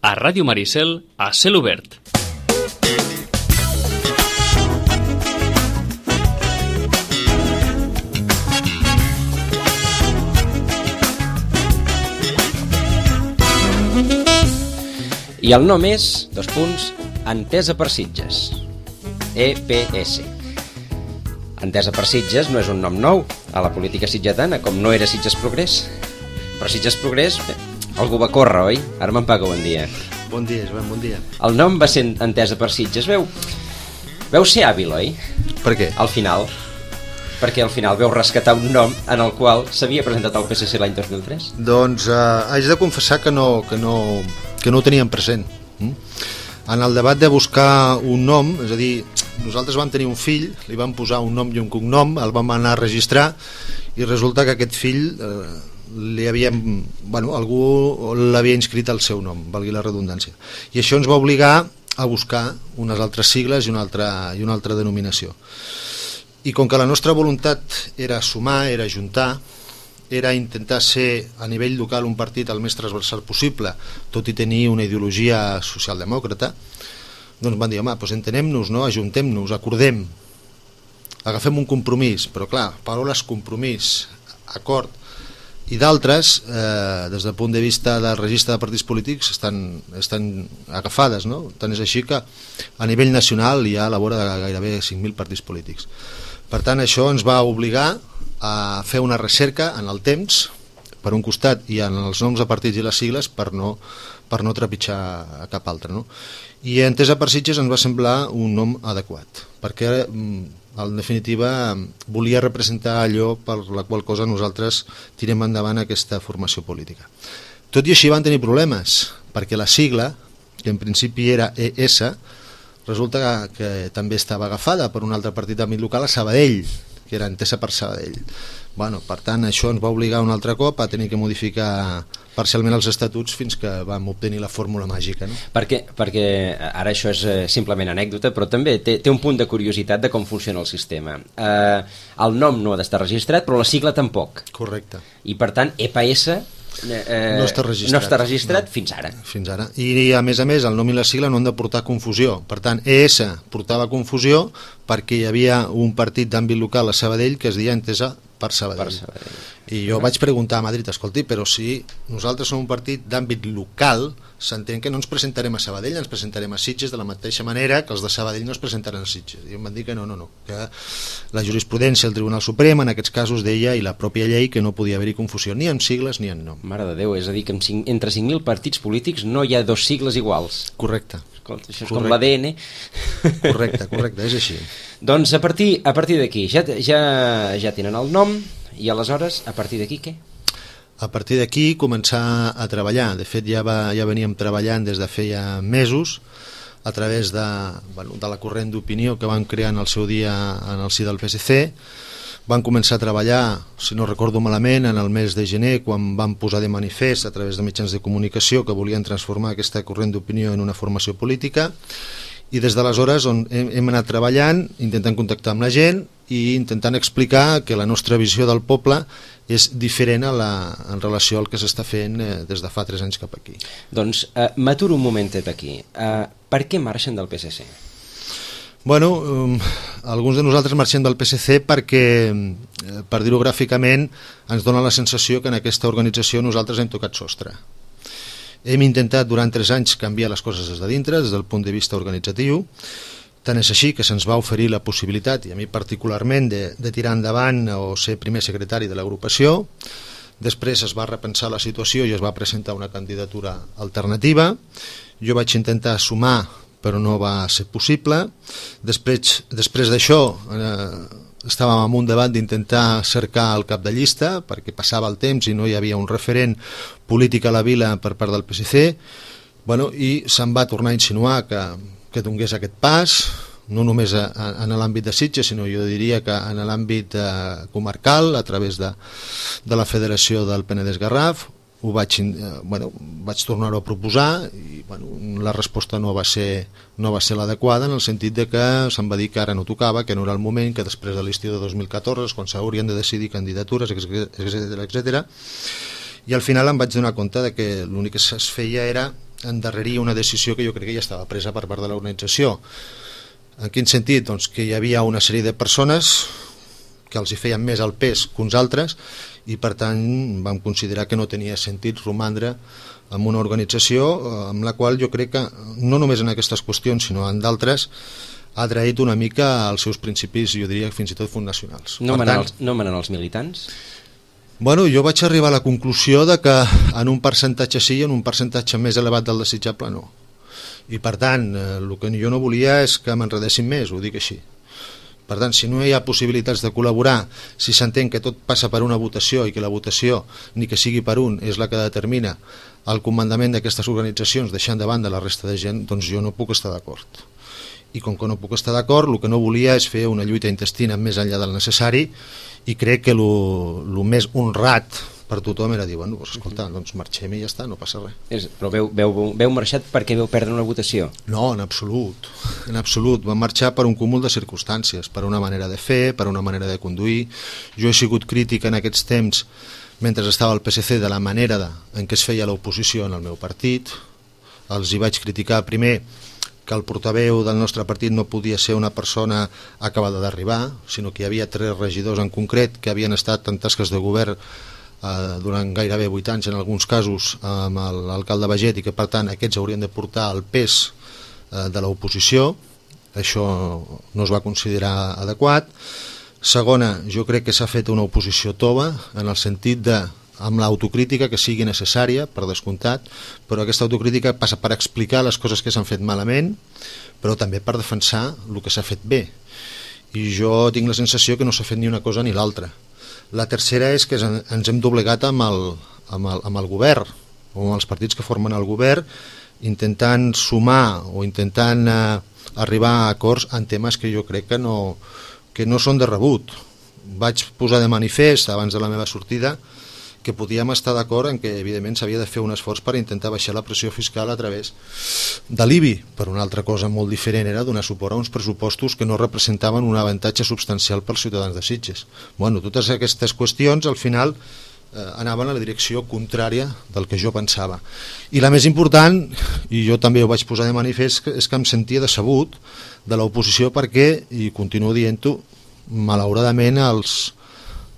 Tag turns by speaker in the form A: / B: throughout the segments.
A: a Ràdio Maricel, a Cel Obert.
B: I el nom és, Entesa per Sitges, EPS. Entesa per Sitges no és un nom nou a la política sitgetana, com no era Sitges Progrés. Però Sitges Progrés, algú va córrer, oi? Ara me'n paga, bon dia.
C: Bon dia, Joan, bon dia.
B: El nom va ser Entesa per Sitges. Veu ser hàbil, oi?
C: Per què?
B: Al final. Perquè al final veu rescatar un nom en el qual s'havia presentat al PSC l'any 2003.
C: Doncs haig de confessar que no ho teníem present. En el debat de buscar un nom, és a dir, nosaltres vam tenir un fill, li vam posar un nom i un cognom, el vam anar a registrar i resulta que aquest fill algú l'havia inscrit al seu nom, valgui la redundància. I això ens va obligar a buscar unes altres sigles i una altra denominació. I com que la nostra voluntat era sumar, era ajuntar, era intentar ser a nivell local un partit el més transversal possible, tot i tenir una ideologia socialdemòcrata, doncs van dir, home, doncs entenem-nos, no? Ajuntem-nos, acordem, agafem un compromís, però clar, paraules compromís, acord, i d'altres, des del punt de vista del registre de partits polítics, estan agafades, no? Tant és així que a nivell nacional hi ha a la vora de gairebé 5.000 partits polítics. Per tant, això ens va obligar a fer una recerca en el temps, per un costat, i en els noms de partits i les sigles per no trepitjar cap altre, no? I Entesa per Sitges ens va semblar un nom adequat, perquè en definitiva volia representar allò per la qual cosa nosaltres tirem endavant aquesta formació política. Tot i així van tenir problemes, perquè la sigla, que en principi era ES, resulta que també estava agafada per un altre partit d'àmbit local a Sabadell, que era Entesa per Sabadell. Per tant, això ens va obligar un altre cop a tenir que modificar parcialment els estatuts fins que vam obtenir la fórmula màgica, no?
B: Perquè ara això és simplement anècdota, però també té un punt de curiositat de com funciona el sistema. El nom no ha d'estar registrat, però la sigla tampoc.
C: Correcte.
B: I per tant, EPS no està registrat fins ara.
C: Fins ara. I a més, el nom i la sigla no han de portar confusió. Per tant, ES portava confusió perquè hi havia un partit d'àmbit local a Sabadell que es deia Entesa per Sabadell. I jo vaig preguntar a Madrid, escolti, però si nosaltres som un partit d'àmbit local, s'entén que no ens presentarem a Sabadell, ens presentarem a Sitges de la mateixa manera que els de Sabadell no es presentaran a Sitges. I em van dir que no, que la jurisprudència del Tribunal Suprem en aquests casos deia, i la pròpia llei, que no podia haver-hi confusió ni en sigles ni en nom.
B: Mare de Déu, és a dir, que entre 5.000 partits polítics no hi ha dos sigles iguals.
C: Correcte.
B: Escolta, això és com l'ADN.
C: Correcte, és així.
B: Doncs a partir d'aquí ja tenen el nom, i aleshores, a partir d'aquí què?
C: A partir d'aquí començar a treballar. De fet, ja veníem treballant des de feia mesos a través de la corrent d'opinió que van crear en el seu dia en el si del PSC. Van començar a treballar, si no recordo malament, en el mes de gener, quan van posar de manifest a través de mitjans de comunicació que volien transformar aquesta corrent d'opinió en una formació política, i des d'aleshores hem anat treballant, intentant contactar amb la gent i intentant explicar que la nostra visió del poble és diferent en relació al que s'està fent des de fa 3 anys cap aquí.
B: Doncs m'aturo un momentet aquí. Per què marxen del PSC?
C: Alguns de nosaltres marxem del PSC perquè, per dir-ho gràficament, ens dona la sensació que en aquesta organització nosaltres hem tocat sostre. Hem intentat durant 3 anys canviar les coses des de dintre, des del punt de vista organitzatiu. Tant és així que se'ns va oferir la possibilitat, i a mi particularment, de tirar endavant o ser primer secretari de l'agrupació. Després es va repensar la situació i es va presentar una candidatura alternativa. Jo vaig intentar sumar, però no va ser possible. Després d'això estàvem en un debat d'intentar cercar el cap de llista perquè passava el temps i no hi havia un referent polític a la vila per part del PSC, i se'm va tornar a insinuar que donés aquest pas, no només en l'àmbit de Sitges, sinó jo diria que en l'àmbit comarcal, a través de la Federació del Penedès-Garraf. Vaig tornar-ho a proposar i la resposta no va ser l'adequada, en el sentit de que se'm va dir que ara no tocava, que no era el moment, que després de l'estiu de 2014, quan s'haurien de decidir candidatures, etc. I al final em vaig donar compte de que l'únic que es feia era endarrerir una decisió que jo crec que ja estava presa per part de l'organització. En quin sentit? Doncs que hi havia una sèrie de persones que els hi feien més el pes que uns altres i per tant vam considerar que no tenia sentit romandre en una organització amb la qual jo crec que no només en aquestes qüestions sinó en d'altres ha traït una mica els seus principis, jo diria fins i tot fundacionals.
B: No manen els militants?
C: Bueno, jo vaig arribar a la conclusió de que en un percentatge sí i en un percentatge més elevat del desitjable no. I per tant, el que jo no volia és que m'enredessin més, ho dic així. Per tant, si no hi ha possibilitats de col·laborar, si s'entén que tot passa per una votació i que la votació, ni que sigui per un, és la que determina el comandament d'aquestes organitzacions deixant de banda la resta de gent, doncs jo no puc estar d'acord. I com que no puc estar d'acord, el que no volia és fer una lluita intestina més enllà del necessari i crec que el més honrat per tothom era dir, bueno, doncs, escolta, doncs marxem i ja està, no passa res.
B: Però veu marxat perquè veu perdre una votació?
C: No, en absolut. Vam marxar per un cúmul de circumstàncies, per una manera de fer, per una manera de conduir. Jo he sigut crític en aquests temps, mentre estava al PSC, de la manera en què es feia l'oposició en el meu partit. Els hi vaig criticar primer que el portaveu del nostre partit no podia ser una persona acabada d'arribar, sinó que hi havia 3 regidors en concret que havien estat en tasques de govern durant gairebé 8 anys en alguns casos amb l'alcalde Baget i que per tant aquests haurien de portar el pes de l'oposició. Això no es va considerar adequat. Segona, jo crec que s'ha fet una oposició tova en el sentit de amb l'autocrítica que sigui necessària, per descomptat, però aquesta autocrítica passa per explicar les coses que s'han fet malament, però també per defensar el que s'ha fet bé. I jo tinc la sensació que no s'ha fet ni una cosa ni l'altra. La tercera és que ens hem doblegat amb el govern, o amb els partits que formen el govern, intentant sumar o intentant arribar a acords en temes que jo crec que no són de rebut. Vaig posar de manifest abans de la meva sortida que podíem estar d'acord en que evidentment s'havia de fer un esforç per intentar baixar la pressió fiscal a través de l'IBI, però una altra cosa molt diferent era donar suport a uns pressupostos que no representaven un avantatge substancial pels ciutadans de Sitges. Bueno, totes aquestes qüestions al final anaven a la direcció contrària del que jo pensava. I la més important, i jo també ho vaig posar de manifest, és que em sentia decebut de l'oposició perquè, i continuo dient-ho, malauradament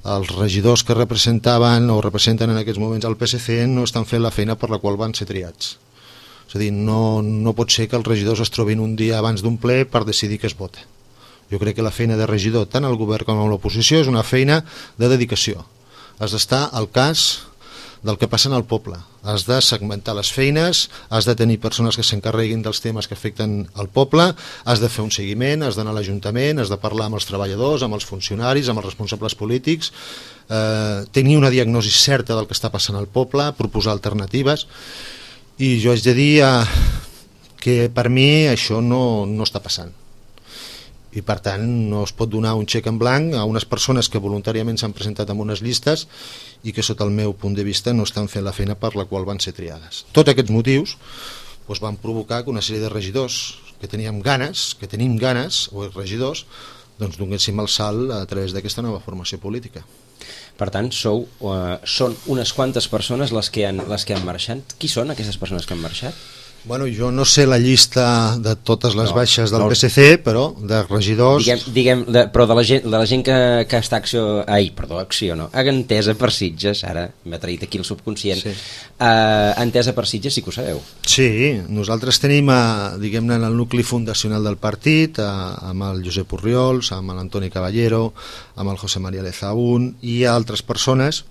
C: els regidors que representaven o representen en aquests moments el PSC no estan fent la feina per la qual van ser triats. És a dir, no pot ser que els regidors es trobin un dia abans d'un ple per decidir què es vota. Jo crec que la feina de regidor, tant al govern com a l'oposició, és una feina de dedicació. Has d'estar al cas del que passa en el poble, has de segmentar les feines, has de tenir persones que s'encarreguin dels temes que afecten el poble, has de fer un seguiment, has d'anar a l'Ajuntament, has de parlar amb els treballadors, amb els funcionaris, amb els responsables polítics, tenir una diagnosi certa del que està passant al poble, proposar alternatives, i jo haig de dir que per mi això no està passant. I per tant no es pot donar un xec en blanc a unes persones que voluntàriament s'han presentat en unes llistes i que sota el meu punt de vista no estan fent la feina per la qual van ser triades. Tots aquests motius van provocar que una sèrie de regidors que tenim ganes, o regidors, doncs donéssim el salt a través d'aquesta nova formació política.
B: Per tant, són unes quantes persones les que han marxat. Qui són aquestes persones que han marxat?
C: Bueno, jo no sé la llista de totes les baixes del PSC, però de regidors...
B: Però de la gent que està entesa per Sitges, ara m'ha traït aquí el subconscient, sí. Entesa per Sitges sí que ho sabeu.
C: Sí, nosaltres tenim, diguem-ne, en el nucli fundacional del partit, amb el Josep Orriols, amb l'Antoni Caballero, amb el José María Lezaún i altres persones,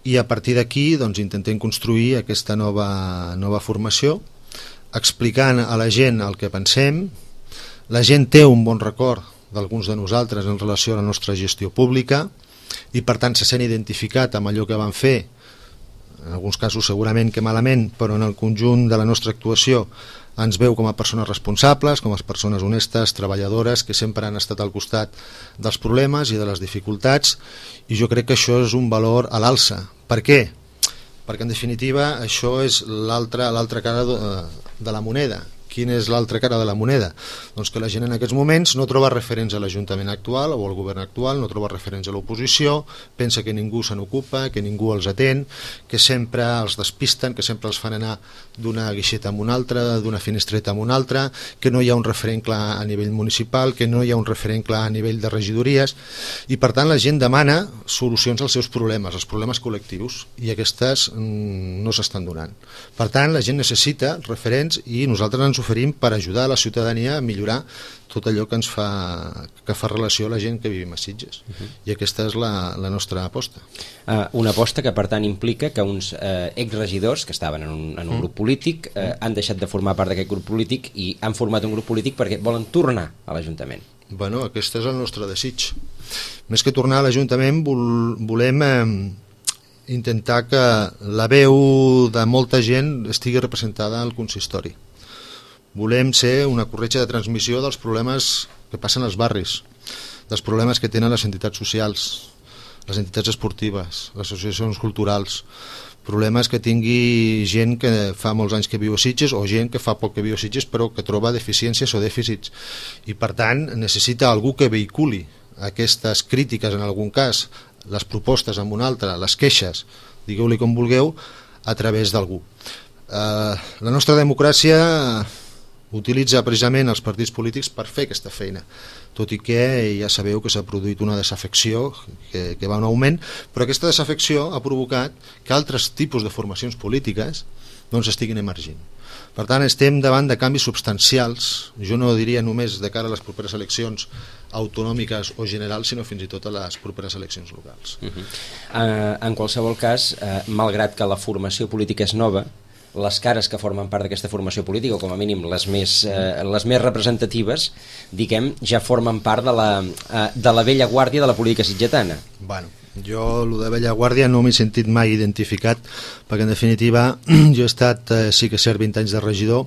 C: i a partir d'aquí doncs, intentem construir aquesta nova formació, explicant a la gent el que pensem. La gent té un bon record d'alguns de nosaltres en relació a la nostra gestió pública i per tant se sent identificat amb allò que van fer, en alguns casos segurament que malament, però en el conjunt de la nostra actuació ens veu com a persones responsables, com a persones honestes, treballadores, que sempre han estat al costat dels problemes i de les dificultats, i jo crec que això és un valor a l'alça. Per què? Perquè en definitiva això és l'altra cara de la moneda. quina és l'altra cara de la moneda? Doncs que la gent en aquests moments no troba referents a l'Ajuntament actual o al govern actual, no troba referents a l'oposició, pensa que ningú se n'ocupa, que ningú els atén, que sempre els despisten, que sempre els fan anar d'una guixeta a una altra, d'una finestreta a una altra, que no hi ha un referent clar a nivell municipal, que no hi ha un referent clar a nivell de regidories, i per tant la gent demana solucions als seus problemes, als problemes col·lectius, i aquestes no s'estan donant. Per tant, la gent necessita referents i nosaltres ens oferim per ajudar a la ciutadania a millorar tot allò que fa relació a la gent que vivim a Sitges. I aquesta és la nostra aposta.
B: Una aposta que per tant implica que uns exregidors que estaven en un grup polític han deixat de formar part d'aquest grup polític i han format un grup polític perquè volen tornar a l'Ajuntament.
C: Bueno, aquest és el nostre desig. Més que tornar a l'Ajuntament volem intentar que la veu de molta gent estigui representada al consistori. Volem ser una corretja de transmissió dels problemes que passen als barris, dels problemes que tenen les entitats socials, les entitats esportives, les associacions culturals, problemes que tingui gent que fa molts anys que viu a Sitges o gent que fa poc que viu a Sitges però que troba deficiències o dèficits i per tant necessita algú que vehiculi aquestes crítiques en algun cas, les propostes en un altre, les queixes, digueu-li com vulgueu, a través d'algú. La nostra democràcia utilitza precisament els partits polítics per fer aquesta feina, tot i que ja sabeu que s'ha produït una desafecció que va en augment, però aquesta desafecció ha provocat que altres tipus de formacions polítiques doncs estiguin emergint. Per tant, estem davant de canvis substancials, jo no diria només de cara a les properes eleccions autonòmiques o generals, sinó fins i tot a les properes eleccions locals.
B: En qualsevol cas, malgrat que la formació política és nova, les cares que formen part d'aquesta formació política, o com a mínim les més representatives, diguem, ja formen part de la vella guàrdia de la política sitgetana.
C: Bueno, jo, el de vella guàrdia, no m'he sentit mai identificat, perquè en definitiva jo he estat, sí que és cert, 20 anys de regidor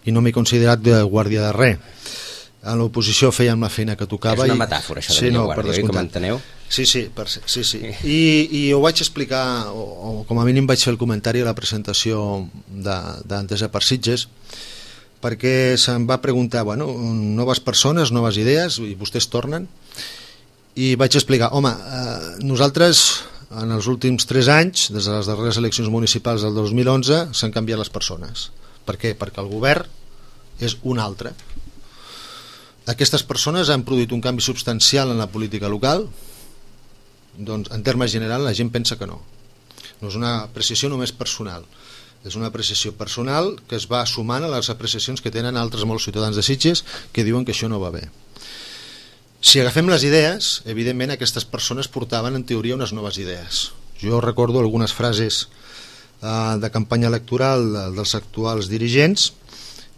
C: i no m'he considerat de guàrdia de res. A l'oposició fèiem la feina que tocava.
B: És una metàfora, això de vella guàrdia, com enteneu?
C: Sí. I ho vaig explicar, o com a mínim vaig fer el comentari a la presentació d'Entesa per Sitges, perquè se'm va preguntar, bueno, noves persones, noves idees, i vostès tornen, i vaig explicar, home, nosaltres en els últims 3 anys, des de les darreres eleccions municipals del 2011, s'han canviat les persones. Per què? Perquè el govern és un altre. Aquestes persones han produït un canvi substancial en la política local. Doncs en termes generals la gent pensa que no. No és una apreciació només personal, és una apreciació personal que es va sumant a les apreciacions que tenen altres molts ciutadans de Sitges que diuen que això no va bé. Si agafem les idees, evidentment aquestes persones portaven en teoria unes noves idees. Jo recordo algunes frases de campanya electoral dels actuals dirigents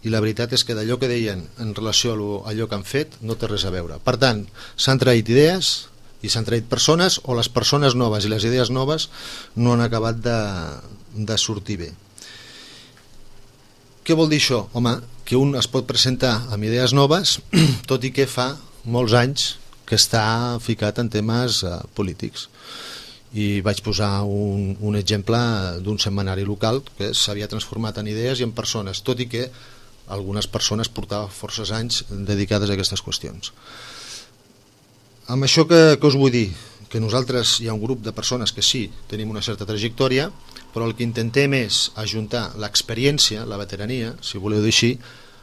C: i la veritat és que d'allò que deien en relació a allò que han fet no té res a veure. Per tant, s'han traït idees i s'han traït persones, o les persones noves i les idees noves no han acabat de sortir bé. Què vol dir això? Home, que un es pot presentar amb idees noves tot i que fa molts anys que està ficat en temes polítics. I vaig posar un exemple d'un setmanari local que s'havia transformat en idees i en persones, tot i que algunes persones portaven forces anys dedicades a aquestes qüestions. Amb això que us vull dir? Que nosaltres hi ha un grup de persones que sí, tenim una certa trajectòria, però el que intentem és ajuntar l'experiència, la veterania, si voleu dir així,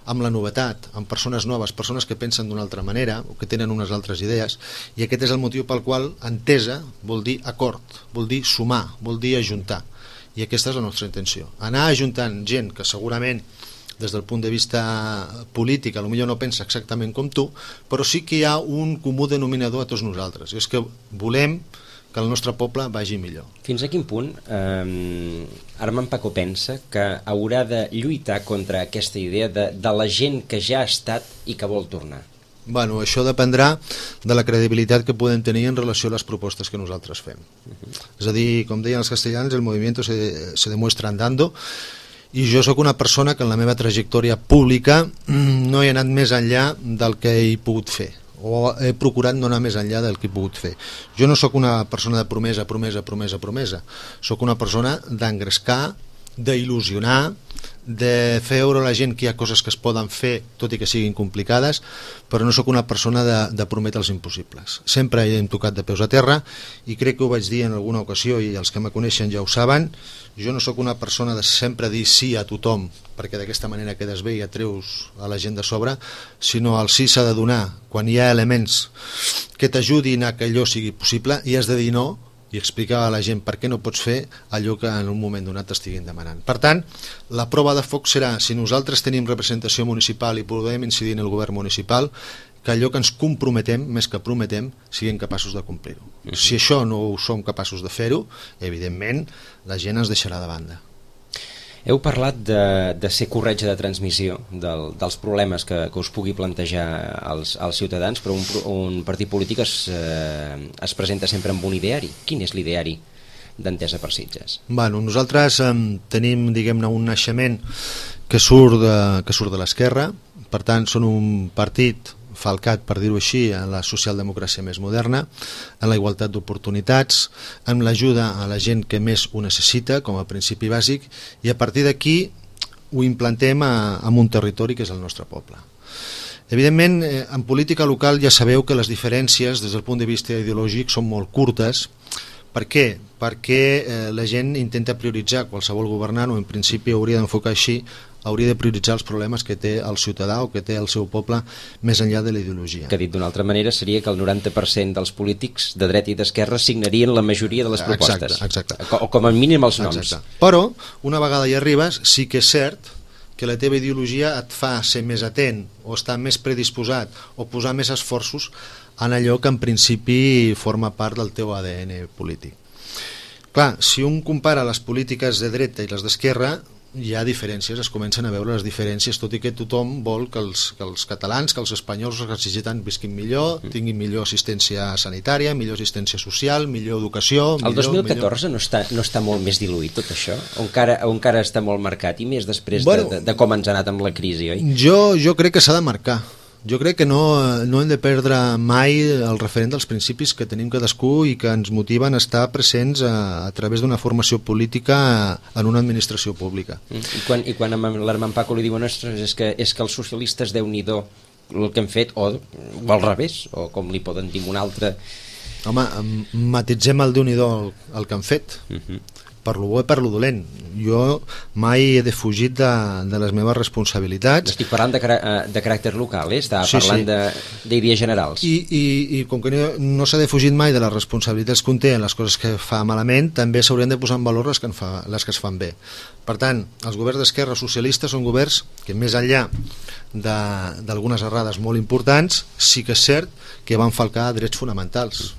C: amb la novetat, amb persones noves, persones que pensen d'una altra manera o que tenen unes altres idees, i aquest és el motiu pel qual Entesa vol dir acord, vol dir sumar, vol dir ajuntar, i aquesta és la nostra intenció, anar ajuntant gent que segurament des del punt de vista polític potser no pensa exactament com tu, però sí que hi ha un comú denominador a tots nosaltres, i és que volem que el nostre poble vagi millor.
B: Fins a quin punt Armand Paco pensa que haurà de lluitar contra aquesta idea de la gent que ja ha estat i que vol tornar?
C: Bueno, això dependrà de la credibilitat que podem tenir en relació a les propostes que nosaltres fem. És a dir, com deien els castellans, el movimiento se demuestra andando, i jo sóc una persona que en la meva trajectòria pública no he anat més enllà del que he pogut fer, o he procurat no anar més enllà del que he pogut fer. Jo no sóc una persona de promesa, sóc una persona d'engrescar, d'il·lusionar, de fer veure a la gent que hi ha coses que es poden fer, tot i que siguin complicades, però no sóc una persona de prometre els impossibles. Sempre hem tocat de peus a terra, i crec que ho vaig dir en alguna ocasió, i els que me coneixen ja ho saben. Jo no sóc una persona de sempre dir sí a tothom, perquè d'aquesta manera quedes bé i atreus a la gent de sobre, sinó el sí s'ha de donar quan hi ha elements que t'ajudin a que allò sigui possible, i has de dir no i explicar a la gent per què no pots fer allò que en un moment donat t'estiguin demanant. Per tant, la prova de foc serà si nosaltres tenim representació municipal i podem incidir en el govern municipal, que allò que ens comprometem, més que prometem, siguem capaços de complir-ho. Si això no ho som capaços de fer-ho, evidentment la gent ens deixarà de banda.
B: Heu parlat de ser corretja de transmissió dels problemes que us pugui plantejar als ciutadans, però un partit polític es presenta sempre amb un ideari. Quin és l'ideari d'Entesa per Sitges?
C: Bueno, nosaltres tenim, diguem-ne, un naixement que surt de l'esquerra, per tant són un partit falcat, per dir-ho així, en la socialdemocràcia més moderna, en la igualtat d'oportunitats, amb l'ajuda a la gent que més ho necessita com a principi bàsic, i a partir d'aquí ho implantem en un territori que és el nostre poble. Evidentment, en política local ja sabeu que les diferències des del punt de vista ideològic són molt curtes. Per què? Perquè la gent intenta prioritzar, qualsevol governant, o en principi hauria d'enfocar així, hauria de prioritzar els problemes que té el ciutadà o que té el seu poble més enllà de la ideologia.
B: Que dit d'una altra manera seria que el 90% dels polítics de dreta i d'esquerra signarien la majoria de les propostes.
C: Exacte.
B: O com a mínim els noms.
C: Exacte. Però, una vegada hi arribes, sí que és cert que la teva ideologia et fa ser més atent o estar més predisposat o posar més esforços en allò que en principi forma part del teu ADN polític. Clar, si un compara les polítiques de dreta i les d'esquerra, hi ha diferències, es comencen a veure les diferències, tot i que tothom vol que els catalans, que els espanyols, els necessiten, visquin millor, tinguin millor assistència sanitària, millor assistència social, millor educació...
B: El 2014 no està molt més diluït tot això? O encara està molt marcat, i més després de com ens ha anat amb la crisi, oi?
C: Jo crec que s'ha de marcar. Jo crec que no hem de perdre mai el referent dels principis que tenim cadascú i que ens motiven a estar presents a través d'una formació política en una administració pública.
B: I quan a l'Armand Paco li diuen és que els socialistes Déu-n'hi-do el que han fet, o al revés, o com li poden dir un altre...
C: Home, matitzem el Déu-n'hi-do el que han fet. Per lo bo i per lo dolent. Jo mai he defugit de les meves responsabilitats.
B: Estic parlant de caràcter local, estava parlant d'idees generals.
C: I com que no s'ha defugit mai de les responsabilitats que un té en les coses que fa malament, també s'haurien de posar en valor les que es fan bé. Per tant, els governs d'esquerra socialistes són governs que, més enllà d'algunes errades molt importants, sí que és cert que van falcar drets fonamentals.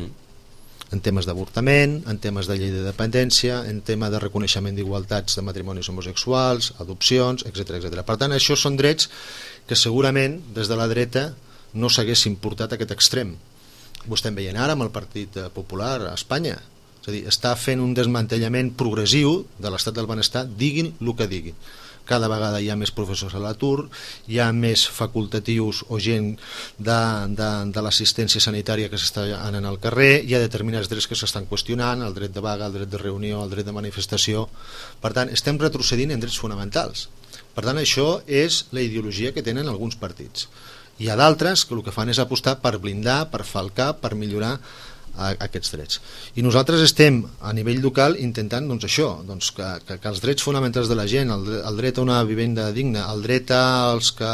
C: En temes d'avortament, en temes de llei de dependència, en tema de reconeixement d'igualtats de matrimonis homosexuals, adopcions, etc. Per tant, això són drets que segurament des de la dreta no s'haguessin portat a aquest extrem. Ho estem veient ara amb el Partit Popular a Espanya. És a dir, està fent un desmantellament progressiu de l'estat del benestar, diguin el que diguin. Cada vegada hi ha més professors a l'atur, hi ha més facultatius o gent de l'assistència sanitària que s'està anant al carrer, hi ha determinats drets que s'estan qüestionant, el dret de vaga, el dret de reunió, el dret de manifestació. Per tant, estem retrocedint en drets fonamentals. Per tant, això és la ideologia que tenen alguns partits. Hi ha d'altres que el que fan és apostar per blindar, per falcar, per millorar aquests drets. I nosaltres estem a nivell local intentant que els drets fonamentals de la gent, el dret a una vivenda digna, el dret als que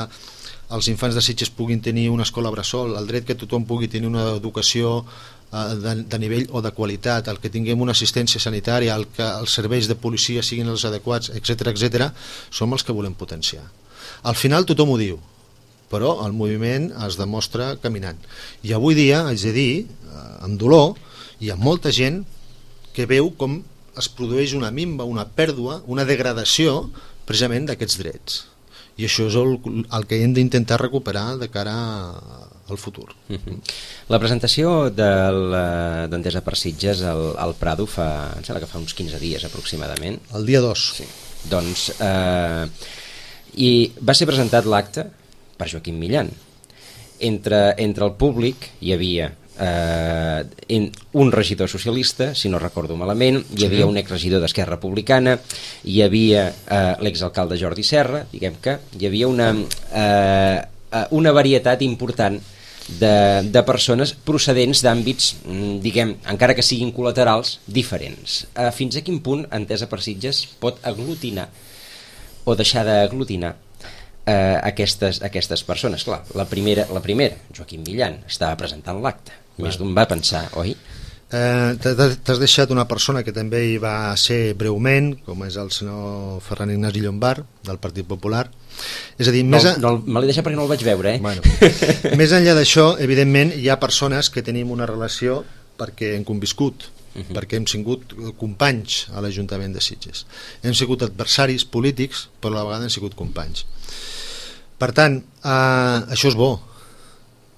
C: els infants de Sitges puguin tenir una escola bressol, el dret que tothom pugui tenir una educació de nivell o de qualitat, el que tinguem una assistència sanitària, el que els serveis de policia siguin els adequats, etc., som els que volem potenciar. Al final tothom ho diu, però el moviment es demostra caminant. I avui dia, haig de dir, amb dolor, hi ha molta gent que veu com es produeix una minva, una pèrdua, una degradació precisament d'aquests drets. I això és el que hem d'intentar recuperar de cara al futur.
B: La presentació d'Entesa per Sitges al Prado em sembla que fa uns 15 dies aproximadament.
C: El dia 2.
B: Sí. Doncs, i va ser presentat l'acte per Joaquim Millan. Entre el públic hi havia un regidor socialista, si no recordo malament, hi havia un exregidor d'Esquerra Republicana, hi havia l'exalcalde Jordi Serra, diguem que hi havia una varietat important de persones procedents d'àmbits, diguem, encara que siguin col·laterals, diferents. Fins a quin punt Entesa per Sitges pot aglutinar o deixar d'aglutinar aquestes persones? Clar, la primera, Joaquim Millan, estava presentant l'acte. Més d'un va pensar, oi?
C: T'has deixat una persona que també hi va ser breument, com és el senyor Ferran Ignasi Llombart, del Partit Popular. És a dir,
B: me l'he deixat perquè no el vaig veure,
C: Bueno, més enllà d'això, evidentment, hi ha persones que tenim una relació perquè hem conviscut, perquè hem sigut companys a l'Ajuntament de Sitges. Hem sigut adversaris polítics, però a la vegada hem sigut companys. Per tant, això és bo.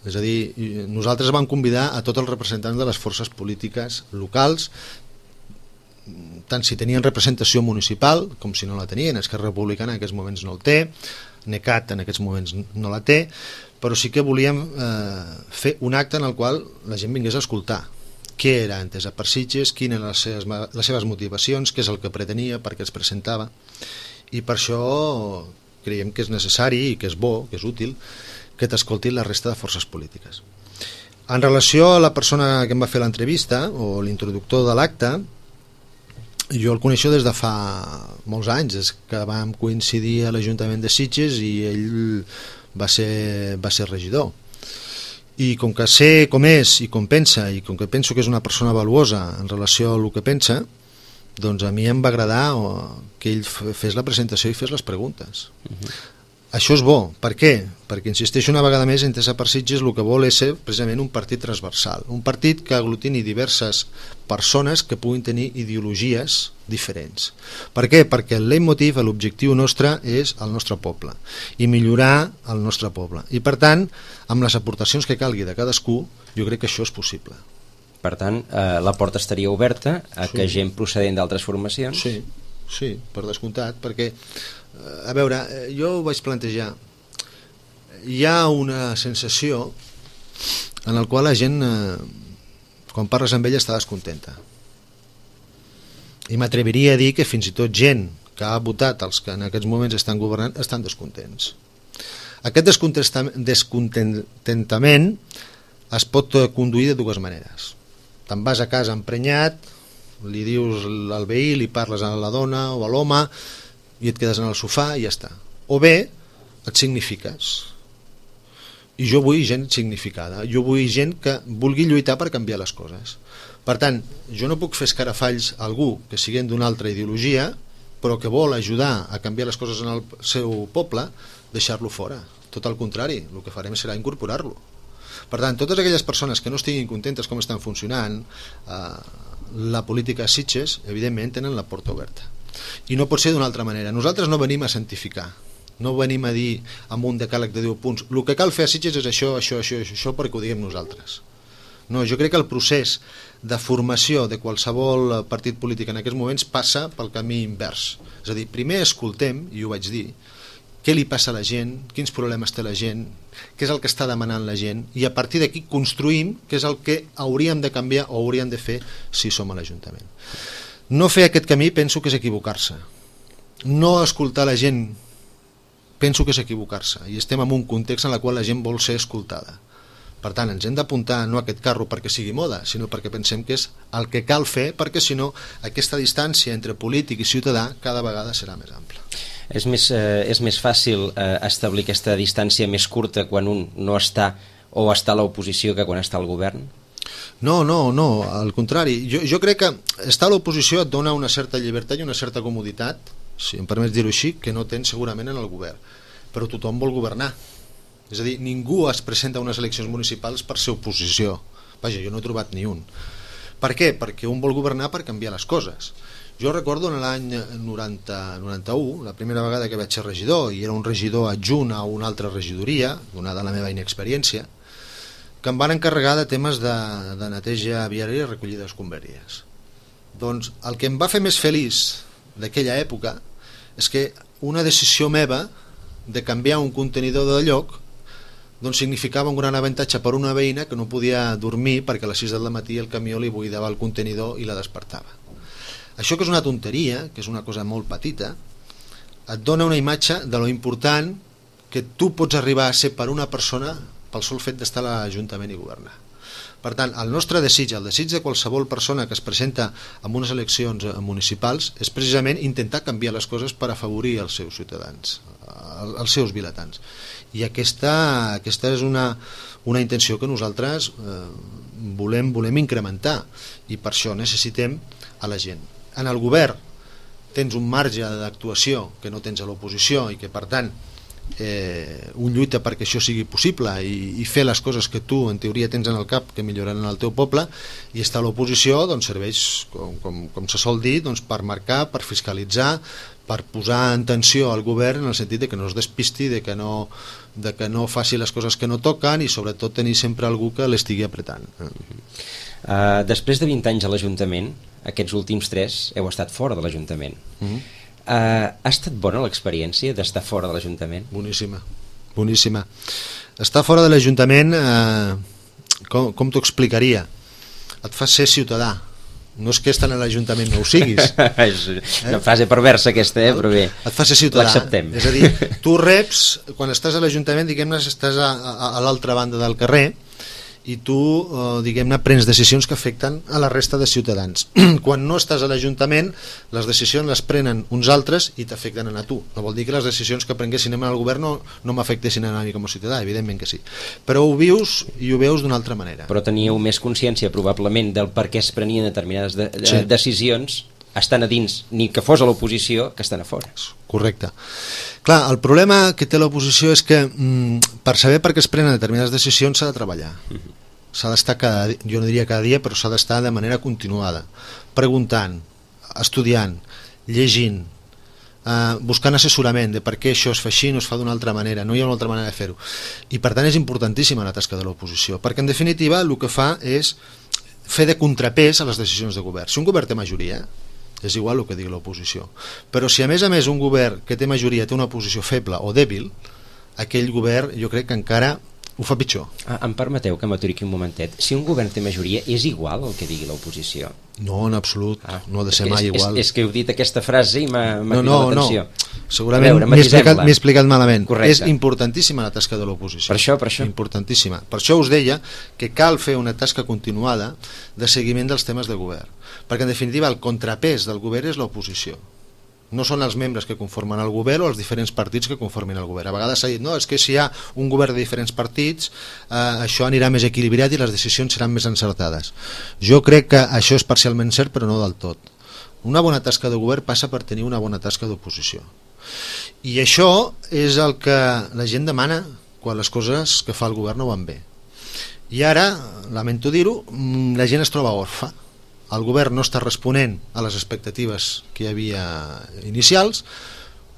C: És a dir, nosaltres vam convidar a tots els representants de les forces polítiques locals, tant si tenien representació municipal com si no la tenien. Esquerra Republicana en aquests moments no el té, NECAT en aquests moments no la té, però sí que volíem fer un acte en el qual la gent vingués a escoltar què era Entesa per Sitges, quines eren les seves motivacions, què és el que pretenia, per què es presentava, i per això creiem que és necessari i que és bo, que és útil que t'escoltin la resta de forces polítiques. En relació a la persona que em va fer l'entrevista o l'introductor de l'acte, jo el coneixo des de fa molts anys, des que vam coincidir a l'Ajuntament de Sitges i ell va ser regidor. I com que sé com és i com pensa, i com que penso que és una persona valuosa en relació al que pensa, doncs a mi em va agradar que ell fes la presentació i fes les preguntes. Això és bo. Per què? Perquè, insisteixo una vegada més, Entesa per Sitges el que vol és ser precisament un partit transversal, un partit que aglutini diverses persones que puguin tenir ideologies diferents. Per què? Perquè el leitmotiv, l'objectiu nostre és el nostre poble i millorar el nostre poble. I per tant, amb les aportacions que calgui de cadascú, jo crec que això és possible.
B: Per tant, la porta estaria oberta a que gent procedent d'altres formacions...
C: Sí, per descomptat, perquè a veure, jo ho vaig plantejar, hi ha una sensació en la qual la gent quan parles amb ella està descontenta, i m'atreviria a dir que fins i tot gent que ha votat els que en aquests moments estan governant estan descontents. Aquest descontentament es pot conduir de dues maneres. Te'n vas a casa emprenyat, li dius al veí, li parles a la dona o a l'home i et quedes en el sofà i ja està. O bé et signifiques, i jo vull gent significada, jo vull gent que vulgui lluitar per canviar les coses. Per tant, jo no puc fer escarafalls a algú que siguin d'una altra ideologia però que vol ajudar a canviar les coses en el seu poble, deixar-lo fora. Tot el contrari, el que farem serà incorporar-lo. Per tant, totes aquelles persones que no estiguin contentes com estan funcionant la política a Sitges, evidentment tenen la porta oberta. I no pot ser d'una altra manera. Nosaltres no venim a santificar, no venim a dir amb un decàleg de 10 punts el que cal fer a Sitges és això, perquè ho diguem nosaltres. No, jo crec que el procés de formació de qualsevol partit polític en aquests moments passa pel camí invers. És a dir, primer escoltem, i ho vaig dir, què li passa a la gent, quins problemes té la gent, què és el que està demanant la gent, i a partir d'aquí construïm què és el que hauríem de canviar o hauríem de fer si som a l'Ajuntament. No fer aquest camí penso que és equivocar-se. No escoltar la gent penso que és equivocar-se, i estem en un context en el qual la gent vol ser escoltada. Per tant, ens hem d'apuntar no a aquest carro perquè sigui moda, sinó perquè pensem que és el que cal fer, perquè si no aquesta distància entre polític i ciutadà cada vegada serà més ampla.
B: És més fàcil establir aquesta distància més curta quan un no està o està a l'oposició que quan està al govern?
C: No, al contrari. Jo crec que estar a l'oposició et dona una certa llibertat i una certa comoditat, si em permets dir-ho així, que no tens segurament en el govern. Però tothom vol governar. És a dir, ningú es presenta a unes eleccions municipals per ser oposició. Vaja, jo no he trobat ni un. Per què? Perquè un vol governar per canviar les coses. Jo recordo en l'any 91, la primera vegada que vaig ser regidor, i era un regidor adjunt a una altra regidoria, donada la meva inexperiència, que em van encarregar de temes de neteja viària i recollida d'escombraries. Doncs el que em va fer més feliç d'aquella època és que una decisió meva de canviar un contenidor de lloc doncs significava un gran avantatge per una veïna que no podia dormir perquè a les 6 del matí el camió li buidava el contenidor i la despertava. Això, que és una tonteria, que és una cosa molt petita, et dona una imatge de lo important que tu pots arribar a ser per una persona pel sol fet d'estar a l'Ajuntament i governar. Per tant, el nostre desig, el desig de qualsevol persona que es presenta en unes eleccions municipals, és precisament intentar canviar les coses per afavorir els seus ciutadans, els seus vilatans. I aquesta és una intenció que nosaltres volem incrementar, i per això necessitem a la gent. En el govern tens un marge d'actuació que no tens a l'oposició i que, per tant, un lluita perquè això sigui possible i fer les coses que tu en teoria tens en el cap que milloraran el teu poble, i estar a l'oposició doncs serveix, com se sol dir, doncs per marcar, per fiscalitzar, per posar en tensió al govern en el sentit de que no es despisti, de que no faci les coses que no toquen, i sobretot tenir sempre algú que l'estigui apretant.
B: Després de 20 anys a l'Ajuntament, aquests últims 3 heu estat fora de l'Ajuntament. Ha estat bona l'experiència d'estar fora de l'Ajuntament?
C: Boníssima. Estar fora de l'Ajuntament, com t'ho explicaria? Et fa ser ciutadà. No és que estan a l'Ajuntament no ho siguis.
B: És una frase perversa aquesta, però bé,
C: et fa ser ciutadà.
B: L'acceptem.
C: És a dir, tu reps, quan estàs a l'Ajuntament, diguem-ne, estàs a l'altra banda del carrer, i tu, diguem-ne, prens decisions que afecten a la resta de ciutadans. Quan no estàs a l'Ajuntament, les decisions les prenen uns altres i t'afecten a tu. No vol dir que les decisions que prenguessin al govern no m'afectessin a mi com a ciutadà, evidentment que sí. Però ho vius i ho veus d'una altra manera.
B: Però teníeu més consciència, probablement, del per què es prenien determinades decisions estan a dins, ni que fos a l'oposició, que estan a fora.
C: Correcte. Clar, el problema que té l'oposició és que per saber per què es prenen determinades decisions s'ha de treballar. S'ha d'estar jo no diria cada dia, però s'ha d'estar de manera continuada, preguntant, estudiant, llegint, buscant assessorament de per què això es fa així, no es fa d'una altra manera, no hi ha una altra manera de fer-ho. I per tant és importantíssima la tasca de l'oposició, perquè en definitiva el que fa és fer de contrapès a les decisions de govern. Si un govern té majoria, és igual el que digui l'oposició, però si a més un govern que té majoria té una oposició feble o dèbil, aquell govern jo crec que encara ho fa pitjor.
B: Em permeteu que m'aturi aquí un momentet. Si un govern té majoria, és igual el que digui l'oposició?
C: No, en absolut, no ha de ser mai igual.
B: És que heu dit aquesta frase i m'ha cridat l'atenció.
C: Segurament m'he explicat malament.
B: Correcte.
C: És importantíssima la tasca de l'oposició.
B: Per això.
C: Importantíssima. Per això us deia que cal fer una tasca continuada de seguiment dels temes de govern, perquè en definitiva el contrapès del govern és l'oposició. No són els membres que conformen el govern o els diferents partits que conformin el govern. A vegades s'ha dit, no, és que si hi ha un govern de diferents partits, això anirà més equilibrat i les decisions seran més encertades. Jo crec que això és parcialment cert, però no del tot. Una bona tasca de govern passa per tenir una bona tasca d'oposició. I això és el que la gent demana quan les coses que fa el govern no van bé. I ara, lamento dir-ho, la gent es troba orfa. El govern no està responent a les expectatives que hi havia inicials,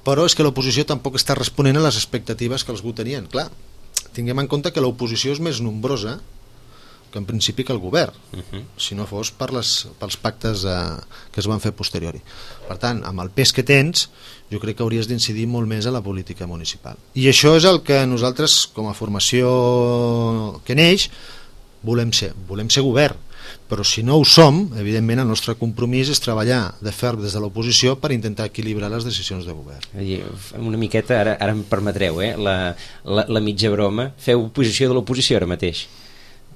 C: però és que l'oposició tampoc està responent a les expectatives que algú tenien. Clar, tinguem en compte que l'oposició és més nombrosa que en principi que el govern, si no fos pels pactes que es van fer posteriori. Per tant, amb el pes que tens, jo crec que hauries d'incidir molt més a la política municipal. I això és el que nosaltres, com a formació que neix, volem ser govern. Però si no ho som, evidentment el nostre compromís és treballar de ferm des de l'oposició per intentar equilibrar les decisions de govern.
B: Una miqueta, ara em permetreu, la mitja broma, feu oposició de l'oposició ara mateix?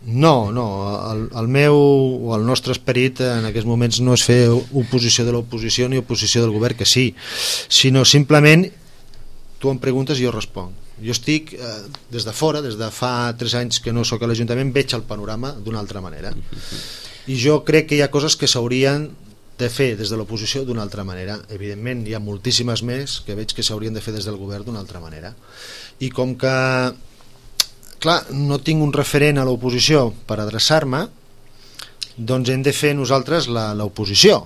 C: No, el nostre esperit en aquests moments no és fer oposició de l'oposició ni oposició del govern, que sí, sinó simplement tu em preguntes i jo responc. Jo estic des de fora, des de fa 3 anys que no sóc a l'Ajuntament, veig el panorama d'una altra manera. I jo crec que hi ha coses que s'haurien de fer des de l'oposició d'una altra manera. Evidentment, hi ha moltíssimes més que veig que s'haurien de fer des del govern d'una altra manera. I com que, clar, no tinc un referent a l'oposició per adreçar-me, doncs hem de fer nosaltres l'oposició.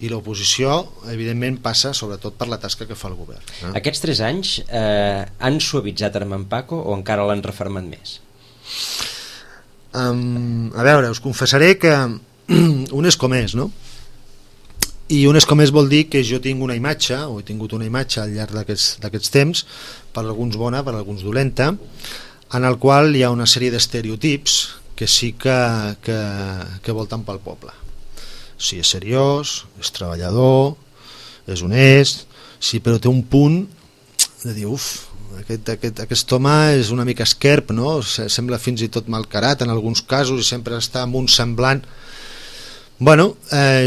C: I l'oposició, evidentment, passa sobretot per la tasca que fa el govern.
B: Aquests 3 anys han suavitzat Armand Paco o encara l'han refermat més?
C: A veure, us confessaré que un és com és, no? I un és com és vol dir que jo tinc una imatge, o he tingut una imatge al llarg d'aquests temps, per alguns bona, per alguns dolenta, en el qual hi ha una sèrie d'estereotips que sí que volten pel poble. Si és seriós, és treballador, és honest, sí, però té un punt de dir, aquest home és una mica esquerp, no? Sembla fins i tot malcarat en alguns casos i sempre està amb un semblant. Bueno,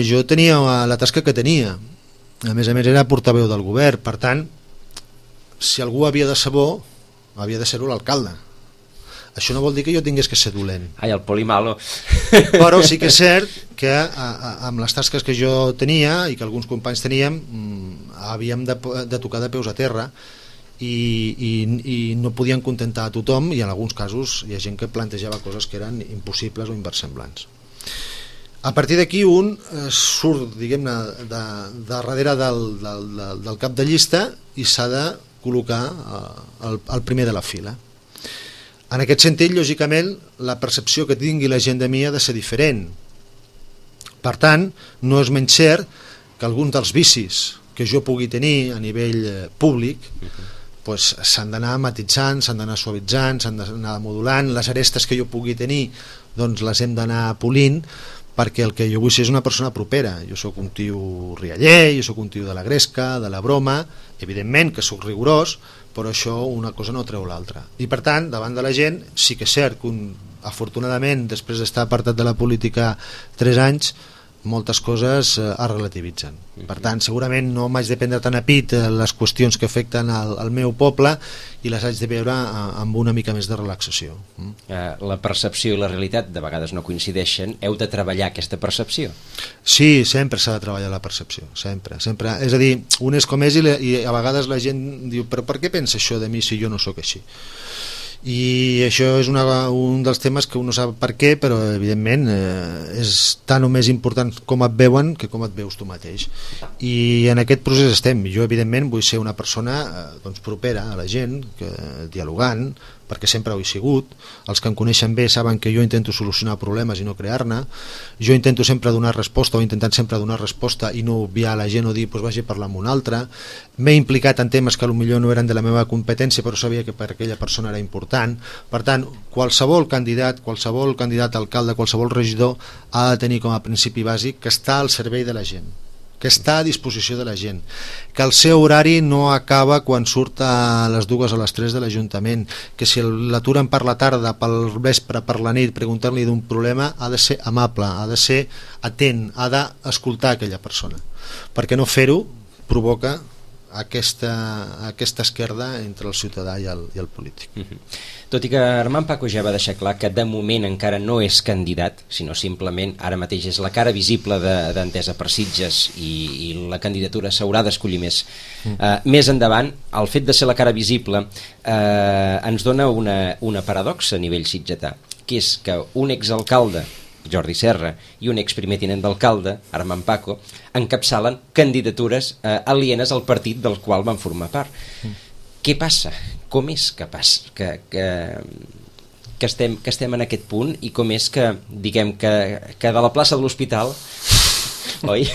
C: jo tenia la tasca que tenia, a més era portaveu del govern, per tant, si algú havia de ser bo, havia de ser-ho l'alcalde. Això no vol dir que jo tingués que ser dolent.
B: Ai, el polimalo.
C: Però sí que és cert que amb les tasques que jo tenia i que alguns companys teníem, havíem de tocar de peus a terra i no podien contentar a tothom, i en alguns casos hi ha gent que plantejava coses que eren impossibles o inversemblants. A partir d'aquí un surt, diguem-ne, de darrere del cap de llista i s'ha de col·locar al primer de la fila. En aquest sentit, lògicament, la percepció que tingui la gent de mi ha de ser diferent. Per tant, no és menys cert que alguns dels vicis que jo pugui tenir a nivell públic s'han d'anar matitzant, s'han d'anar suavitzant, s'han d'anar modulant. Les arestes que jo pugui tenir doncs les hem d'anar polint, perquè el que jo vull ser és una persona propera. Jo sóc un tio rialler, jo sóc un tio de la gresca, de la broma, evidentment que sóc rigorós, però això una cosa no treu l'altra. I per tant, davant de la gent, sí que és cert que afortunadament, després d'estar apartat de la política 3 anys, moltes coses es relativitzen. Per tant, segurament no m'haig de prendre tan a pit les qüestions que afecten al meu poble i les haig de veure amb una mica més de relaxació.
B: La percepció i la realitat de vegades no coincideixen. Heu de treballar aquesta percepció?
C: Sí, sempre s'ha de treballar la percepció, sempre. És a dir, un és com és i a vegades la gent diu, però per què pensa això de mi si jo no sóc així? I això és un dels temes que un no sap per què, però evidentment és tan o més important com et veuen que com et veus tu mateix, i en aquest procés estem. Jo evidentment vull ser una persona propera a la gent, dialogant, perquè sempre ho he sigut. Els que em coneixen bé saben que jo intento solucionar problemes i no crear-ne. Jo intento sempre donar resposta, o intentant sempre donar resposta, i no obviar la gent o dir vagi a parlar amb un altre. M'he implicat en temes que potser no eren de la meva competència, però sabia que per aquella persona era important. Per tant, qualsevol candidat a alcalde, qualsevol regidor ha de tenir com a principi bàsic que està al servei de la gent, que està a disposició de la gent, que el seu horari no acaba quan surt a les 2 o les 3 de l'Ajuntament, que si l'aturen per la tarda, pel vespre, per la nit, preguntar-li d'un problema, ha de ser amable, ha de ser atent, ha d'escoltar aquella persona, perquè no fer-ho provoca aquesta esquerda entre el ciutadà i el polític.
B: Tot i que Armand Paco ja va deixar clar que de moment encara no és candidat, sinó simplement ara mateix és la cara visible d'Entesa per Sitges i la candidatura s'haurà d'escollir més endavant, el fet de ser la cara visible ens dona una paradoxa a nivell sitgetà, que és que un exalcalde, Jordi Serra, i un exprimer tinent d'alcalde, Armand Paco, encapçalen candidatures alienes al partit del qual van formar part. Què passa? Com és que estem en aquest punt, i com és que, diguem, que de la plaça de l'Hospital, oi?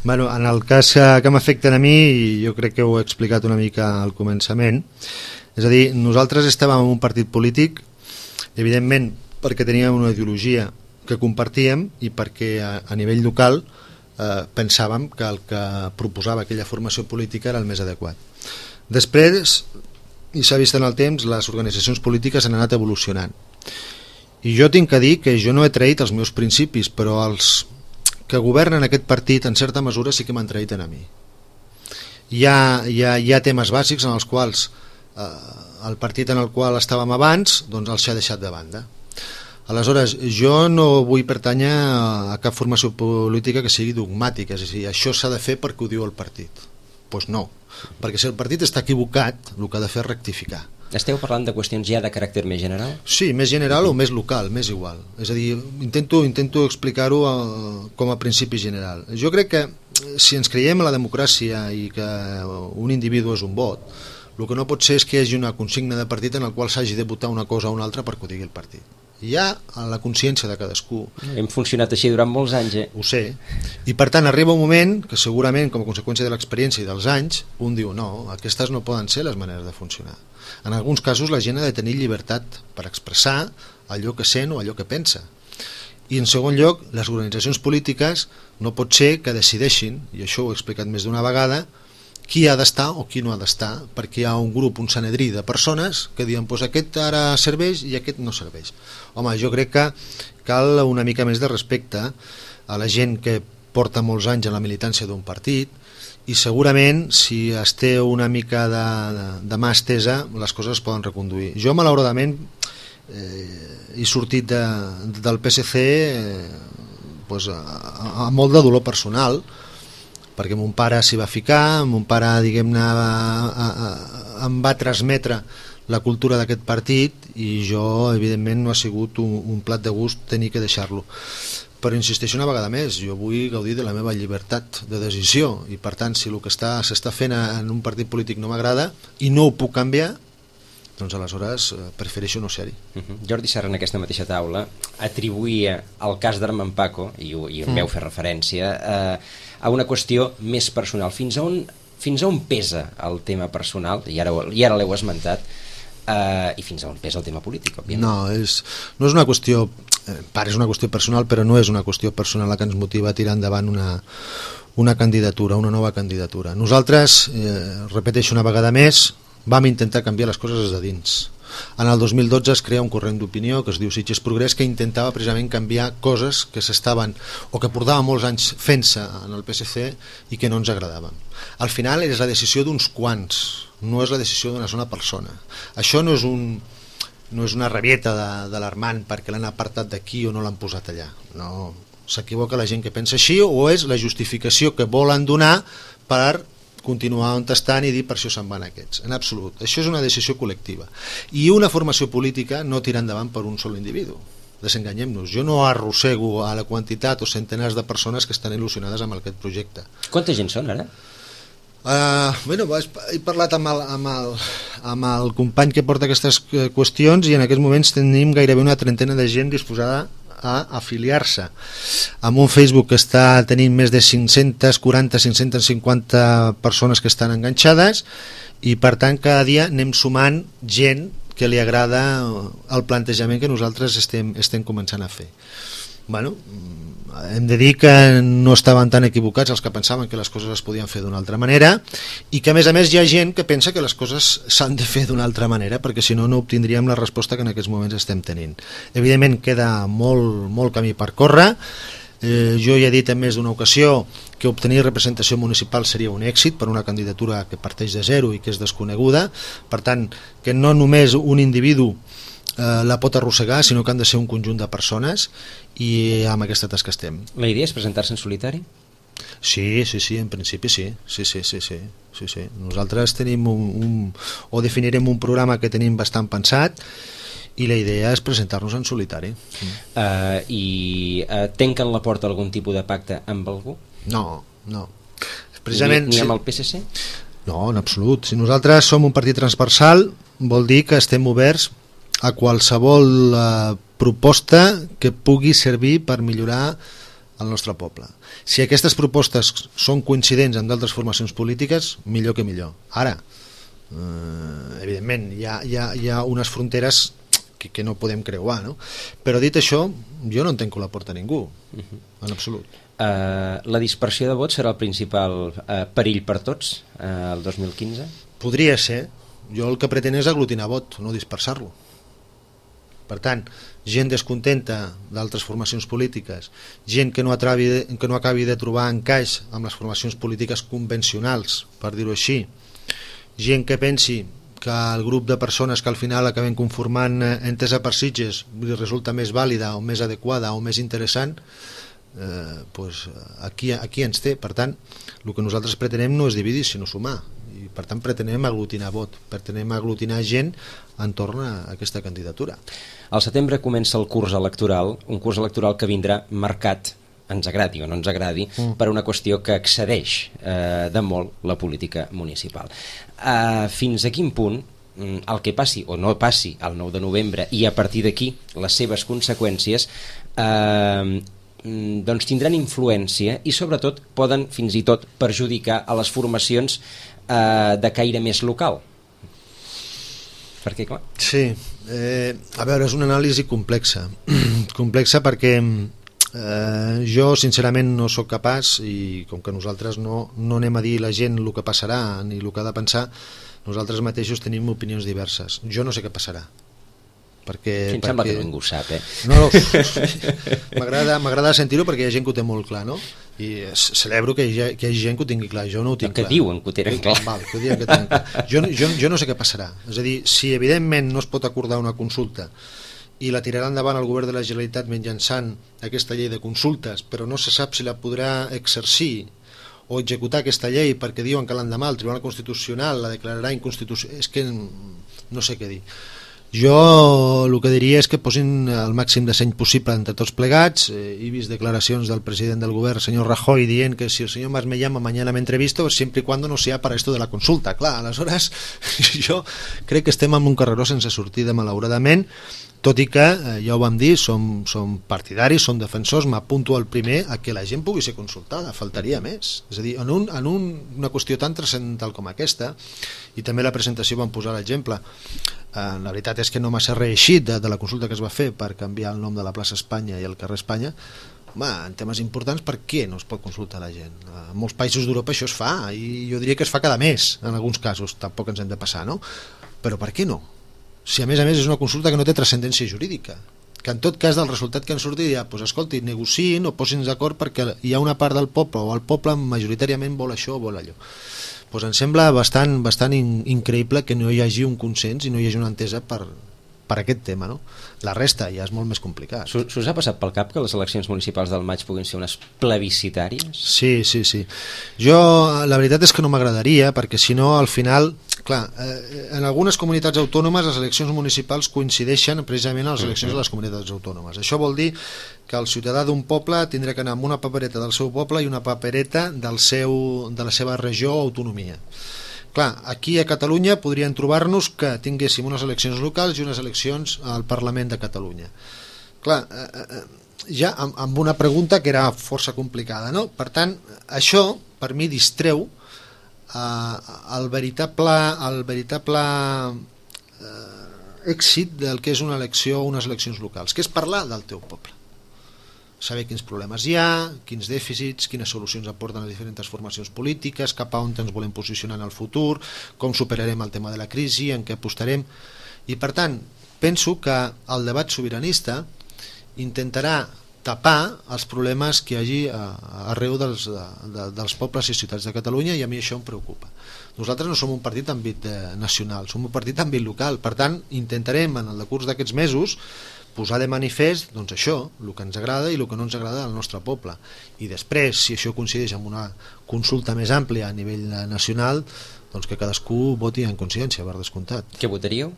C: Bueno, en el cas que m'afecten a mi, jo crec que ho he explicat una mica al començament, és a dir, nosaltres estàvem en un partit polític, evidentment perquè teníem una ideologia que compartíem i perquè a nivell local pensàvem que el que proposava aquella formació política era el més adequat. Després, i s'ha vist en el temps, les organitzacions polítiques han anat evolucionant. I jo tinc que dir que jo no he traït els meus principis, però els que governen aquest partit en certa mesura sí que m'han traït a mi. Hi ha temes bàsics en els quals el partit en el qual estàvem abans doncs els s'ha deixat de banda. Aleshores, jo no vull pertànyer a cap formació política que sigui dogmàtica, és a dir, això s'ha de fer perquè ho diu el partit. Doncs no, perquè si el partit està equivocat, el que ha de fer és rectificar.
B: Esteu parlant de qüestions ja de caràcter més general?
C: Sí, més general o més local, més igual. És a dir, intento explicar-ho com a principi general. Jo crec que si ens creiem a la democràcia i que un individu és un vot, el que no pot ser és que hi hagi una consigna de partit en el qual s'hagi de votar una cosa o una altra perquè ho digui el partit. hi ha a la consciència de cadascú.
B: Hem funcionat així durant molts anys,
C: Ho sé, i per tant arriba un moment que segurament com a conseqüència de l'experiència i dels anys un diu no, aquestes no poden ser les maneres de funcionar. En alguns casos la gent ha de tenir llibertat per expressar allò que sent o allò que pensa, i en segon lloc les organitzacions polítiques no pot ser que decideixin, i això ho he explicat més d'una vegada, qui ha d'estar o qui no ha d'estar, perquè hi ha un grup, un sanedrí de persones que diuen pues aquest ara serveix i aquest no serveix. Home, jo crec que cal una mica més de respecte a la gent que porta molts anys en la militància d'un partit, i segurament si es té una mica de mà estesa les coses es poden reconduir. Jo malauradament he sortit del PSC pues, amb molt de dolor personal, perquè mon pare s'hi va ficar, mon pare diguem-ne em va transmetre la cultura d'aquest partit i jo evidentment no ha sigut un plat de gust tenir que deixar-lo, però insisteixo una vegada més, jo vull gaudir de la meva llibertat de decisió i per tant si el que s'està fent en un partit polític no m'agrada i no ho puc canviar, doncs aleshores prefereixo no ser-hi.
B: Jordi Serra en aquesta mateixa taula atribuïa el cas d'Armand Paco, i en veu fer referència, a una qüestió més personal. Fins a on pesa el tema personal, i ara l'heu esmentat, i fins a on pesa el tema polític, òbviament?
C: No és una qüestió, és una qüestió personal, però no és una qüestió personal la que ens motiva a tirar endavant una candidatura, una nova candidatura. Nosaltres, repeteixo una vegada més, vam intentar canviar les coses des de dins. En el 2012 es crea un corrent d'opinió que es diu Sitges Progrés, que intentava precisament canviar coses que s'estaven o que portaven molts anys fent-se en el PSC i que no ens agradaven. Al final és la decisió d'uns quants, no és la decisió d'una sola persona. Això no és una rabieta de l'Armand perquè l'han apartat d'aquí o no l'han posat allà. No, s'equivoca la gent que pensa així, o és la justificació que volen donar per continuar on estan i dir per això se'n van aquests. En absolut, això és una decisió col·lectiva i una formació política no tira endavant per un sol individu, desenganyem-nos. Jo no arrossego a la quantitat o centenars de persones que estan il·lusionades amb aquest projecte.
B: Quanta gent són ara?
C: He parlat amb el company que porta aquestes qüestions i en aquests moments tenim gairebé una trentena de gent disposada a afiliar-se amb un Facebook que està tenint més de 540-550 persones que estan enganxades i per tant cada dia anem sumant gent que li agrada el plantejament que nosaltres estem començant a fer. Bueno, hem de dir que no estaven tan equivocats els que pensaven que les coses es podien fer d'una altra manera i que a més hi ha gent que pensa que les coses s'han de fer d'una altra manera perquè si no no obtindríem la resposta que en aquests moments estem tenint. Evidentment queda molt camí per córrer. Jo ja he dit en més d'una ocasió que obtenir representació municipal seria un èxit per una candidatura que parteix de zero i que és desconeguda, per tant que no només un individu la pot arrossegar, sinó que han de ser un conjunt de persones i amb aquesta tasca estem.
B: La idea és presentar-se en solitari?
C: Sí, en principi sí. Nosaltres tenim o definirem un programa que tenim bastant pensat i la idea és presentar-nos en solitari.
B: I tanquen la porta a algun tipus de pacte amb algú?
C: No. Precisament,
B: ni amb el PSC?
C: No, en absolut. Si nosaltres som un partit transversal vol dir que estem oberts a qualsevol proposta que pugui servir per millorar el nostre poble. Si aquestes propostes són coincidents amb d'altres formacions polítiques, millor que millor. Ara, evidentment, hi ha unes fronteres que no podem creuar, no? Però dit això, jo no en tanco la porta a ningú, en absolut.
B: La dispersió de vots serà el principal perill per tots el 2015?
C: Podria ser. Jo el que pretén és aglutinar vot, no dispersar-lo. Per tant, gent descontenta d'altres formacions polítiques, gent que no acabi de trobar encaix amb les formacions polítiques convencionals, per dir-ho així, gent que pensi que el grup de persones que al final acabem conformant Entesa per Sitges li resulta més vàlida o més adequada o més interessant, aquí ens té. Per tant, el que nosaltres pretenem no és dividir sinó sumar i per tant pretenem aglutinar vot, pretenem aglutinar gent entorn a aquesta candidatura.
B: Al setembre comença el curs electoral, un curs electoral que vindrà marcat, ens agradi o no ens agradi, per una qüestió que excedeix de molt la política municipal. Fins a quin punt el que passi o no passi el 9 de novembre i a partir d'aquí les seves conseqüències doncs tindran influència i sobretot poden fins i tot perjudicar a les formacions de caire més local. Perquè, clar...
C: Sí, a veure, és una anàlisi complexa. Complexa perquè jo sincerament no sóc capaç, i com que nosaltres no anem a dir a la gent el que passarà ni el que ha de pensar, nosaltres mateixos tenim opinions diverses. Jo no sé què passarà. Perquè
B: sembla que ningú ho sap,
C: No, m'agrada sentir-ho perquè hi ha gent que ho té molt clar, no? I celebro que hi hagi gent que ho tingui clar. Jo no ho tinc clar.
B: Que diuen que ho tenen clar.
C: Val, que diuen que tenen clar. Jo no sé què passarà. És a dir, si evidentment no es pot acordar una consulta i la tirarà endavant el govern de la Generalitat mitjançant aquesta llei de consultes, però no se sap si la podrà exercir o executar aquesta llei perquè diuen que l'endemà el Tribunal Constitucional la declararà inconstitucional, és que no sé què dir. Jo el que diria és que posin el màxim de seny possible entre tots plegats. He vist declaracions del president del govern, senyor Rajoy, dient que si el senyor Mas me llama mañana me entrevisto siempre y cuando no sea para esto de la consulta. Clar, aleshores jo crec que estem en un carreró sense sortida, malauradament, tot i que, ja ho vam dir, som partidaris, som defensors, m'apunto al primer a que la gent pugui ser consultada, faltaria més. És a dir, en una qüestió tan transcendental com aquesta, i també la presentació vam posar l'exemple, la veritat és que no m'ha reeixit de la consulta que es va fer per canviar el nom de la plaça Espanya i el carrer Espanya. Home, en temes importants, per què no es pot consultar la gent? En molts països d'Europa això es fa, i jo diria que es fa cada mes, en alguns casos, tampoc ens hem de passar, no? Però per què no? Si a més és una consulta que no té transcendència jurídica, que en tot cas del resultat que en surti ja, doncs escolti, negociïn o posin d'acord perquè hi ha una part del poble o el poble majoritàriament vol això o vol allò. Doncs em sembla bastant increïble que no hi hagi un consens i no hi hagi una entesa per aquest tema, no? La resta ja és molt més complicat.
B: S'us ha passat pel cap que les eleccions municipals del maig puguin ser unes plebiscitàries?
C: Sí. Jo, la veritat és que no m'agradaria, perquè si no, al final, clar, en algunes comunitats autònomes les eleccions municipals coincideixen precisament a les eleccions de les comunitats autònomes. Això vol dir que el ciutadà d'un poble tindrà que anar amb una papereta del seu poble i una papereta de la seva regió o autonomia. Clar, aquí a Catalunya podrien trobar-nos que tinguéssim unes eleccions locals i unes eleccions al Parlament de Catalunya. Clar, ja amb una pregunta que era força complicada, no? Per tant, això per mi distreu el veritable èxit del que és una elecció o unes eleccions locals, que és parlar del teu poble, saber quins problemes hi ha, quins dèficits, quines solucions aporten les diferents formacions polítiques, cap a on ens volem posicionar en el futur, com superarem el tema de la crisi, en què apostarem. I per tant, penso que el debat sobiranista intentarà tapar els problemes que hi hagi arreu dels pobles i ciutats de Catalunya, i a mi això em preocupa. Nosaltres no som un partit d'àmbit nacional, som un partit d'àmbit local, per tant intentarem en el decurs d'aquests mesos posar de manifest doncs això, el que ens agrada i el que no ens agrada del nostre poble, i després, si això coincideix amb una consulta més àmplia a nivell nacional, doncs que cadascú voti en consciència, per descomptat.
B: Què votaríeu?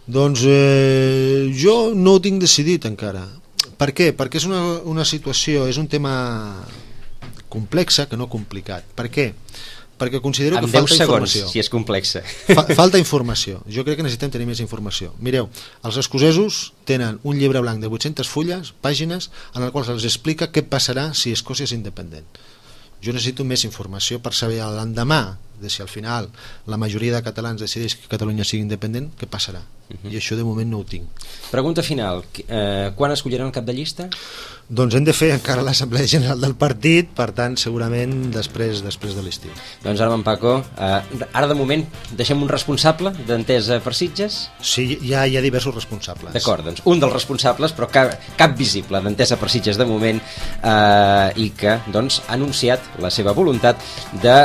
C: Doncs jo no ho tinc decidit encara. Per què? Perquè és una situació, és un tema complexa que no complicat. Per què? Perquè considero que falta informació.
B: Si és complexa.
C: Falta informació. Jo crec que necessitem tenir més informació. Mireu, els escocesos tenen un llibre blanc de 800 fulles, pàgines, en el qual se'ls explica què passarà si Escòcia és independent. Jo necessito més informació per saber l'endemà de si al final la majoria de catalans decideix que Catalunya sigui independent, què passarà. I això de moment no ho tinc.
B: Pregunta final, quan escolliran el cap de llista?
C: Doncs hem de fer encara l'Assemblea General del partit, per tant segurament després de l'estiu.
B: Doncs ara, en Paco, ara de moment deixem un responsable d'Entesa per Sitges?
C: Sí, hi ha diversos responsables.
B: D'acord, doncs un dels responsables, però cap visible d'Entesa per Sitges de moment, i que doncs, ha anunciat la seva voluntat de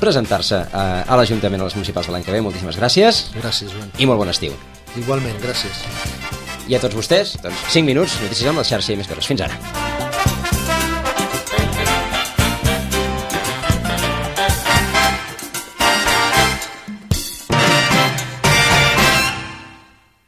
B: presentar-se a l'Ajuntament a les municipals de l'any que ve. Moltíssimes gràcies.
C: Gràcies, Joan.
B: I molt bon estiu.
C: Igualment, gràcies.
B: I a tots vostès, doncs 5 minuts, notícies amb la xarxa i més coses. Fins ara.